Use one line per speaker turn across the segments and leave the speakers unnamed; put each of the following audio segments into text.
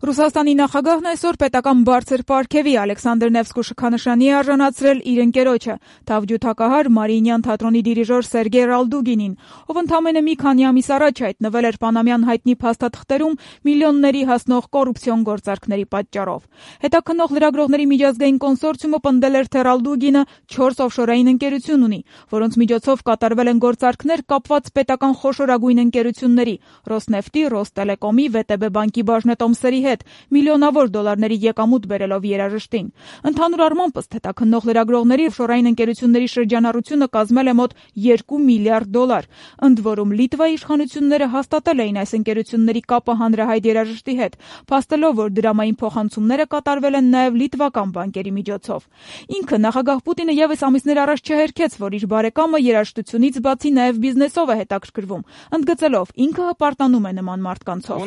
Ռուսաստանի նախագահն այսօր պետական բարձր պարգևի Ալեքսանդր Նևսկու շքանշանի է արժանացրել իր ընկերոջը, թավջութակահար Մարիինյան թատրոնի դիրիժոր Սերգեյ Ռալդուգինին, ով ընդամենը մի քանի ամիս առաջ հայտնվել էր Պանամյան հայտնի փաստաթղթերում միլիոնների հասնող կոռուպցիոն գործարքների պատճառով։ Հետաքննող լրագրողների միջազգային կոնսորցիումը պնդել էր, թե Ռալդուգինը 4 օֆշորային ընկերություն ունի, որոնց միջոցով կատարվել են գործարքներ կապված պետական խոշորագույն ընկերությունների՝ Ռոսնեֆտի, Ռոստելեկոմի, ՎՏԲ բանկի բաժնետոմսերի հետ, միլիոնավոր դոլարների եկամուտ բերելով երաժշտին։ Ընդհանուր առմամբ, ըստ հետաքննող լրագրողների, օֆշորային ընկերությունների շրջանառությունը կազմել է մոտ 2 միլիարդ դոլար։ Ընդ որում, Լիտվայի իշխանությունները հաստատել էին այս ընկերությունների կապը հանրահայտ երաժշտի հետ, փաստելով, որ դրամային փոխանցումները կատարվել են նաև լիտվական բանկերի միջոցով։ Ինքը նախագահ Պուտինը ևս ամիսներ առաջ չհերքեց, որ իր բարեկամը երաժշտությունից բացի նաև բիզնեսով է հետաքրքրվում, ընդգծելով, ինքը հպարտանում է նման մարդկանցով։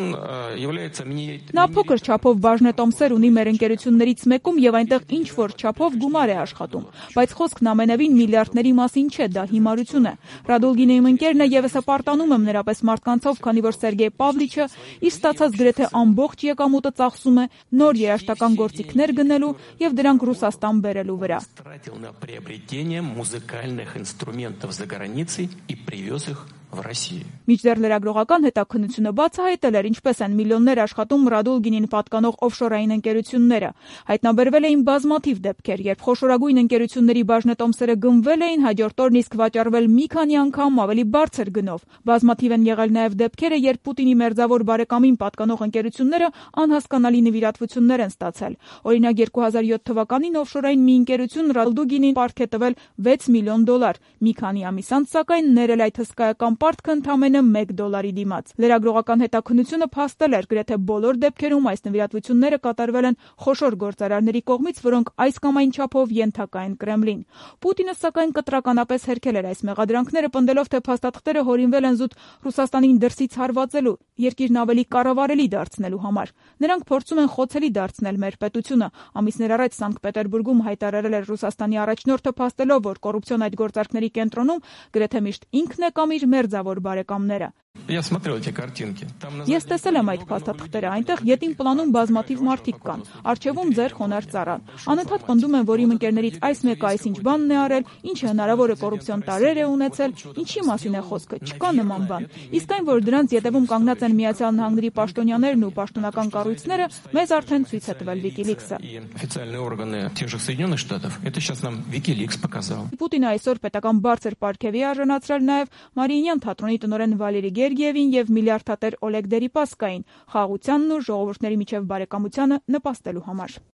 Նա փոքր չափով բաժնետոմսեր ունի մեր ընկերություններից մեկում եւ այնտեղ ինչ-որ չափով գումար է աշխատում, բայց խոսքն ամենևին միլիարդների մասին չէ, դա հիմարություն է։ Ռադուլգինը իմ ընկերն է, եւս հպարտանում եմ նրա պես մարդկանցով, քանի որ Սերգեյ Պավլիչը իր ստացած գրեթե ամբողջ եկամուտը ծախսում է նոր երաժշտական գործիքներ գնելու եւ դրանք Ռուսաստան բերելու վրա։ Միջդեռ լրագրողական հետաքննությունը բացահայտել էր, ինչպես են միլիոններ աշխատում Ռադուլգինին պատկանող օֆշորային ընկերությունները։ Հայտնաբերվել էին բազմաթիվ դեպքեր, երբ խոշորագույն ընկերությունների բաժնետոմսերը գնվել էին, հաջորդ օրն իսկ վաճառվել մի քանի անգամ ավելի բարձր գնով։ Բազմաթիվ են եղել նաև դեպքերը, երբ Պուտինի մերձավոր բարեկամին պատկանող ընկերությունները անհասկանալի նվիրատվություններ են ստացել։ Օրինակ 2007 թվականին օֆշորային մի ընկերություն Ռադուլգինին պարտք է տվել 6 միլիոն դոլար։ Մի քանի ամիս անց, սակայն, ներել այդ հսկայական պարտքը ընդամենը $1 դիմաց։ Լրագրողական հետաքննությունը փաստել էր, գրեթե բոլոր դեպքերում այս նվիրատվությունները կատարվել են խոշոր գործարարների կողմից, որոնք այս կամ այն չափով ենթակա են Կրեմլին։ Պուտինը, սակայն, կտրականապես հերքել էր այս մեղադրանքները, պնդելով, թե փաստաթղթերը հորինվել են զուտ Ռուսաստանին դրսից հարվածելու, երկիրն ավելի կառավարելի դարձնելու համար։ Նրանք փորձում են խոցելի դարձնել մեր պետությունը։ Ամիսներ առաջ Սանկտ Պետերբուրգում հայտարարել էր Ռուսաստանի առաջնորդը, փաստելով, որ կոռուպցիոն այդ գործարքների կենտրոնում գրեթե միշտ ինքն է կամ իր մերձավոր բարեկամները։ Ես տեսել եմ այդ փաստաթղթերը, այնտեղ ետին պլանում բազմաթիվ մարդիկ կան, առջևում ձեր խոնարհ ծառան։ Անընդհատ պնդում են, որ իմ ընկերներից այս մեկը այսինչ բանն է արել, ինչ հնարավոր է կոռուպցիոն տարրեր է ունեցել, ինչի մասին է խոսքը, չկա նման բան։ Իսկ այն, որ դրանց ետևում կանգնած են Միացյալ Նահանգների պաշտոնյաներն ու պաշտոնական կառույցները, մեզ արդեն ցույց է տվել WikiLeaks-ը։ Պուտինը այսօր պետական բարձր պարգևի արժանացրել նաև Մարիինյան թատրոնի տնօրեն Վալերի Գերգիևին եւ միլիարդատեր Օլեգ Դերիպասկային խաղաղությանն ու ժողովուրդների միջև բարեկամությանը նպաստելու համար։